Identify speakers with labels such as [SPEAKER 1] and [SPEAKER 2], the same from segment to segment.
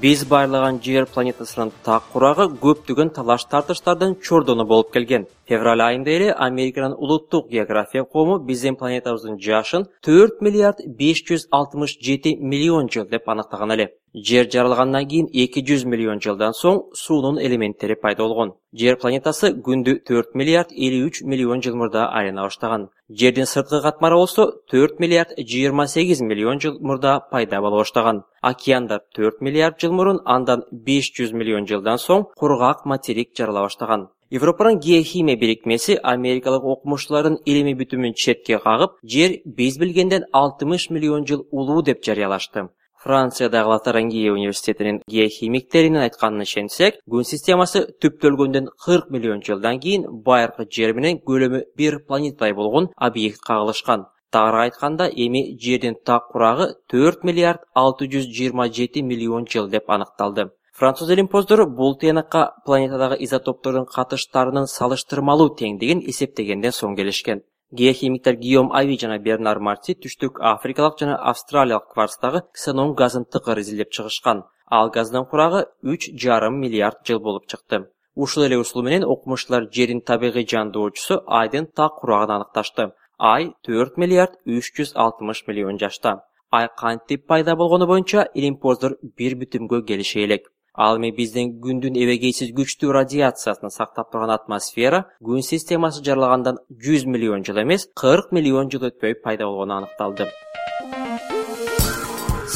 [SPEAKER 1] Биз байырлаган жер планетасынын так курагы көптөгөн талаш тартыштардын чордону болуп келген. Февраль айында эле Американын улуттук география кому биздин планетабыздын жашын 4 миллиард 567 миллион жыл деп аныктаган эле. Жер жаралгандан кийин 200 миллион жылдан соң суунун элементтери пайда болгон. Жер планетасы күндү 4 миллиард 53 миллион жыл мурда айлана баштаган. Жердин сырткы катмары болсо 4 миллиард 28 миллион жыл мурда пайда боло баштаган. Океандар 4 миллиард жыл мурун, андан 500 миллион жылдан соң кургак материк жарала баштаган. Европанын геохимия бирикмеси америкалык окумуштуулардын илимий бүтүмүн четке кагып, жер биз билгенден 60 миллион жыл улуу деп жарыялашты. Франциядагы Лотарингия университетинин геохимиктеринин айтканына ишенсек, күн системасы түптөлгөндөн 40 миллион жылдан кийин байыркы жер менен көлөмү бир планетадай болгон объект кагылышкан. Тагыраак айтканда, эми жердин так курагы 4 миллиард 627 миллион жыл деп аныкталды. Француз илимпоздору бул тыянакка планетадагы изотоптордун катыштарынын салыштырмалуу теңдигин эсептегенден соң келишкен. Геохимиктер Гийом Ави жана Бернар Марти түштүк Африкалык жана Австралиялык кварцтагы ксенон газын тыкыр изилдеп чыгышкан. Ал газдын курагы 3,5 миллиард жыл болуп чыкты. Ушул эле усул менен окумуштуулар жердин табигый жандоочусу Айдын так курагын аныкташты. Ай 4 миллиард 360 миллион жашта. Ай кантип пайда болгону боюнча илимпоздор бир бүтүмгө келише элек. Ал эми биздин күндүн эбегейсиз күчтүү радиациясын сактап турган атмосфера күн системасы жаралгандан 100 миллион жыл эмес, 40 миллион жыл өтпөй пайда болгону аныкталды.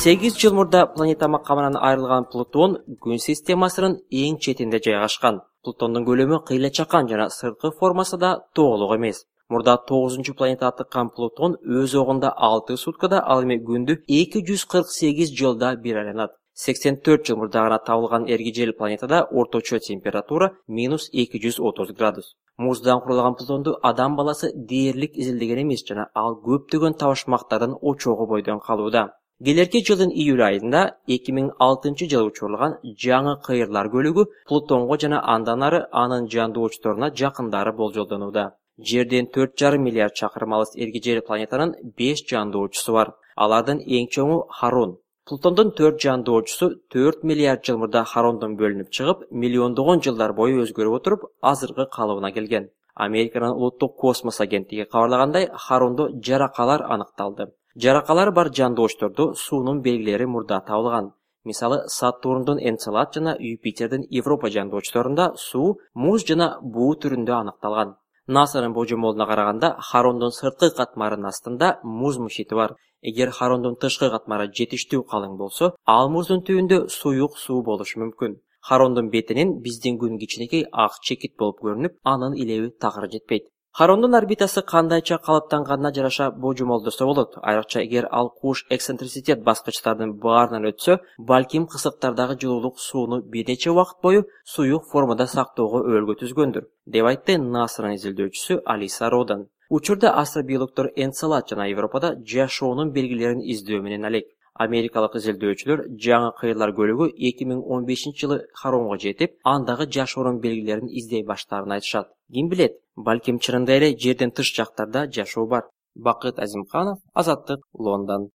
[SPEAKER 1] 8 жыл мурда планета макамынан айрылган Плутон күн системасынын эң четинде жайгашкан. Плутондун көлөмү кыйла чакан жана сырткы формасы да тоголук эмес. Мурда 9-чу планета тыккан Плутон өз огунда 6 суткада, ал эми күндү 248 жылда бир айланат. 84 жыл мурда гана табылган эргижел планетада орточо температура -230 градус. Муздан курулган Плутонду адам баласы дээрлик изилдеген эмес жана ал көптөгөн табышмактардын очогу бойдон калууда. Келерки жылдын июль айында 2006 жылы учурулган жаңы кыйырлар көлүгү Плутонго жана андан ары анын жандоочторуна жакындары болжолдонууда. Жерден 4,5 миллиард чакырым алыс эргижел планетанын 5 жандоочусу бар. Алардын эң чоңу Харон. Плутондун 4 жандоочусу 4 миллиард жыл мурда Харондон бөлүнүп чыгып, миллиондогон жылдар бою өзгөрүп отуруп, азыркы калыбына келген. Американын улуттук космос агенттиги кабарлагандай, Харондо жаракалар аныкталды. Жаракалар бар жандоочтордо суунун белгилери мурда табылган. Мисалы, Сатурндун Энцелад жана Юпитердин Европа жандоочторунда суу, муз жана буу түрүндө аныкталган. НАСАнын божомолуна караганда, Харондун сырткы катмарынын астында муз мушити бар. Эгер Харондун тышкы катмары жетиштүү калың болсо, ал муздун түбүндө суюк суу болушу мүмкүн. Харондун бетинен биздин күн кичинекей ак чекит болуп көрүнүп, анын илеби такыр жетпейт. Харондун орбитасы кандайча калыптанганына жараша божомолдосо болот. Айрыкча эгер ал куш эксцентриситет баскычтардын баарынан өтсө, балким кысыктардагы жылуулук сууну бир нече убакыт бою суюк формада сактоого өбөлгө түзгөндүр, деп айтты НАСАнын изилдөөчүсү Алиса Родан. Учурда астробиологдор Энцелад жана Европада жашоонун белгилерин издөө менен алек. Америкалык изилдөөчүлөр жаңы кыйырлар көлүгү 2015-жылы Харонго жетип, андагы жашоонун белгилерин издей баштаарын айтышат. Ким билет, балким чынында эле жерден тыш жактарда жашоо бар. Бакыт Азимканов, Азаттык, Лондон.